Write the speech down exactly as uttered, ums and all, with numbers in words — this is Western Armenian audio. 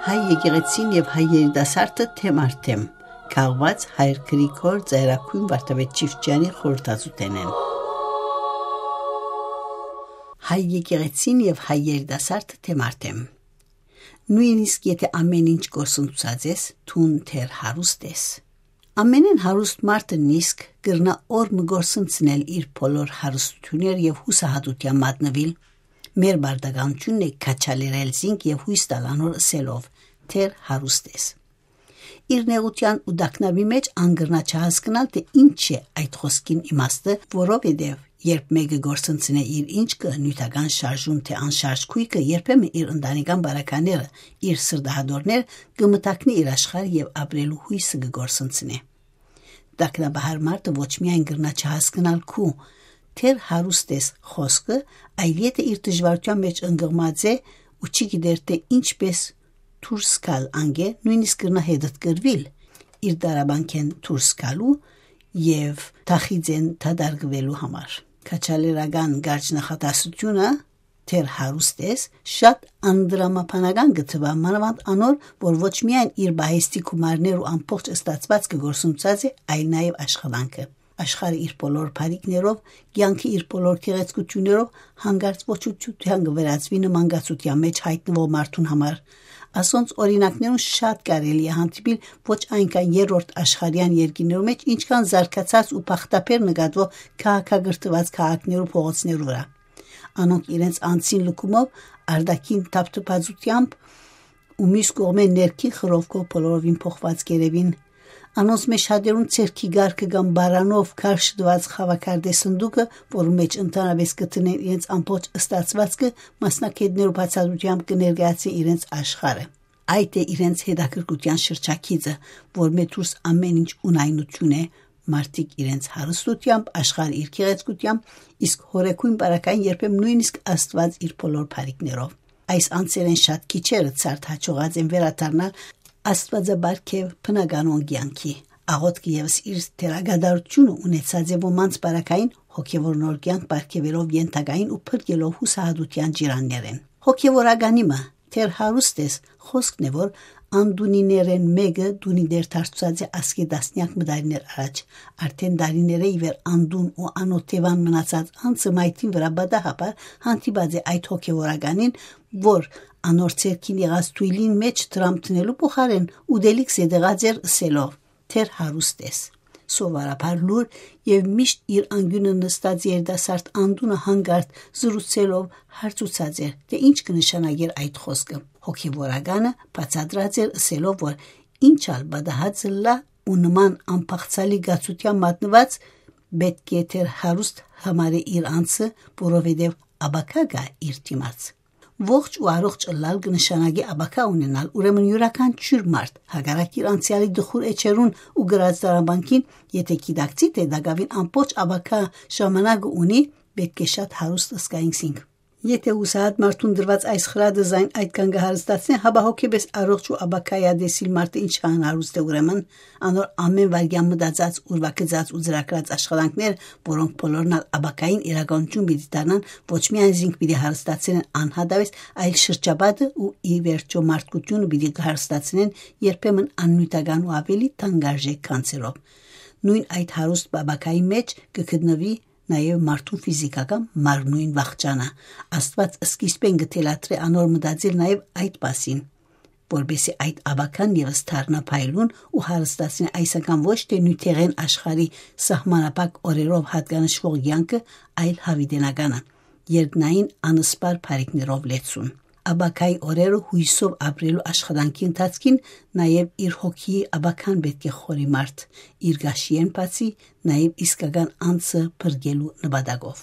Հայ եկեղեցին եւ հայ երիտասարդը թեմ առ թեմ, քաղուած հայր Գրիգոր Ծայրագոյն Վարդապետ Չիֆճեանի խորհրդածութենէն։ Հայ եկեղեցին եւ հայ երիտասարդը թեմ առ թեմ։ Նոյնիսկ եթէ ամէն ինչ կորսնցուցած ես, դուն դեռ հարուստ ես։ Ամենէն հարուստ մարդը նիսկ կրնայ օր մը կորսնցնել իր բոլոր հարստութիւններ եւ յուսահատութեան մատնուիլ։ Մեր բարդականութիւնն է քաչալերել զինք եւ յոյս տալ անոր ըսելով, դեռ հարուստ ես։ Իր նեղութեան ու տագնապի մէջ ան կրնայ չհասկնալ, թէ ինչ է այդ խօսքին իմաստը, որովհետեւ երբ մէկը կորսնցնէ իր ինչքը, նիւթական շարժուն թէ անշարժ գոյքը, երբեմն իր ընտանեկան բարագաները, իր սրտահատորներ, կը մթագնի իր աշխարհ եւ ապրելու յոյսը կը կորսնցնէ։ Տագնապահար մարդը ոչ միայն կրնայ չհասկնալ քու, դեռ հարուստ ես խօսքը, այլ եթէ իր դժուարութեան մէջ ընկղմած է ու չի գիտեր, թէ ինչպէս դուրս գալ անկէ, նոյնիսկ կրնայ հետդ կրուիլ իր դարաբանքէն դուրս գալու եւ թախիծէն դատարկուելու համար։ Քաչալերական կարճ նախատասությունը, դեռ հարուստ ես, շատ անդրամաբանական կը թուայ, մանաւանդ անոր, որ ոչ միայն իր պահեստի գումարներ ու ամբողջ ստացուածքը կորսնցուցած է, այլ նաեւ աշխատանքը։ Աշխարհը իր բոլոր բարիքներով, կեանքը իր բոլոր գեղեցկութիւններով հանկարծ ոչնչութեան կը վերածուի նման կացութեան մէջ յայտնուող մարդուն համար։ Ասոնց օրինակներուն շատ կարելի է հանդիպիլ ոչ այնքան երրորդ աշխարհեան երկիրներու մէջ, ինչքան զարգացած ու բախտաբեր նկատուող քաղաքակրթուած քաղաքներու փողոցներու վրայ։ Անոնք իրենց անձին լքումով, արտաքին թափթփածութեամբ ու միւս կողմէ ներքին խռովքով բոլորովին փոխուած կ'երեւին։ Անոնց մէջ շատերուն ձեռքի կարգը կամ պարանով քարշ տուած խաւակարտէ սնդուկը, որու մէջ ընդհանրապէս կը դնեն իրենց ամբողջ ստացուածքը, մասնագէտներու բացատրութեամբ կը ներկայացնէ իրենց աշխարհը։ Այդ է իրենց հետաքրքրութեան շրջագիծը, որ մէ դուրս ամէն ինչ ունայնութիւն է, մարդիկ իրենց հարստութեամբ, աշխարհը իր գեղեցկութեամբ, իսկ հորեգոյն պարագային երբեմն նոյնիսկ Աստուած իր բոլոր բարիքներով։ Այս անձերէն շատ քիչերը ցարդ հաջողած են վերադառնալ աստուածապարգեւ բնականոն կեանքի։ Աղօթքը եւս իր դերակատարութիւնը ունեցած է ոմանց պարագային հոգեւոր նոր կեանք պարգեւելով ենթակային ու փրկելով յուսահատութեան ջիրաններէն։ Հոգեւորականի մը, դեռ հարուստ ես, խօսքն է, որ անդունիներէն մէկը դունի դեր դարձուցած է ասկէ տասնեակ մը տարիներ առաջ։ Արդէն տարիներէ ի վեր անդուն ու անօթեւան մնացած անձը մայթին վրայ պատահաբար հանդիպած է այդ հոգեվորականին, որ անոր ձեռքին եղած թոյլին մէջ դրամ դնելու փոխարէն ուտելիք զետեղած էր ըսելով, դեռ հարուստ ես։ Սովորաբար լուր եւ միշտ իր անկիւնը նստած երիտասարդ անդունը հանկարծ զրուցելով հարցուցած էր, թէ ինչ կը նշանակեր այդ խօսքը։ Հոգեվորականը բացատրած էր ըսելով, որ ինչ ալ պատահած ըլլայ ու նման անբաղձալի կացութեան մատնուած, պէտք է դեռ հարուստ համարէ իր անձը, որովհետեւ ապագայ կայ իր դիմաց։ Ողջ ու առողջ ըլլալ կը նշանակի ապագայ ունենալ, ուրեմն իւրաքանչիւր մարդ, հակառակ իր անցեալի տխուր էջերուն ու կրած դարաբանքին, եթէ գիտակցի, թէ տակաւին ամբողջ ապագայ ժամանակը ունի, պէտք է շատ հարուստ զգայինք զինք։ Եթէ յուսահատ մարդուն տրուած այս խրատը զայն այդքան կը հարստացնէ, հապա հոգեպես առողջ ու ապագայատեսիլ մարդը ինչքան հարուստ է ուրեմն, անոր ամէն վայրկեան մտածած, ուրվագծած ու ծրագրած աշխատանքներ, որոնք բոլորն ալ ապագային իրականություն պիտի դառնան, ոչ միայն զինք պիտի հարստացնեն անհատավես, այլ շրջապատը ու ի վերջոյ մարդկութիւնը պիտի հարստացնեն երբեմն աննիւթական ու աւելի թանկարժեք գանձերով։ Նոյն այդ հարուստ ապագայի մէջ կը գտնուի նաեւ մարդուն ֆիզիքական մարմնոյն վախճանը։ Աստուած սկիզբէն կը թելադրէ անոր մտածել նաեւ այդ մասին, որպեսզի այդ ապագան եւս դառնայ փայլուն ու հարստացնէ այսական ոչ թէ նիւթեղէն աշխարհի սահմանափակ օրերով յատկանշուող կեանքը, այլ յաւիտենականը, երկնային անսպառ բարիքներով լեցուն։ Ապագայի օրերը յոյսով ապրելու աշխատանքի ընթացքին նաեւ իր հոգիի ապագան պէտք է խորի մարդ, իր կաշիէն բացի, նաեւ իսկական անձը փրկելու նպատակով։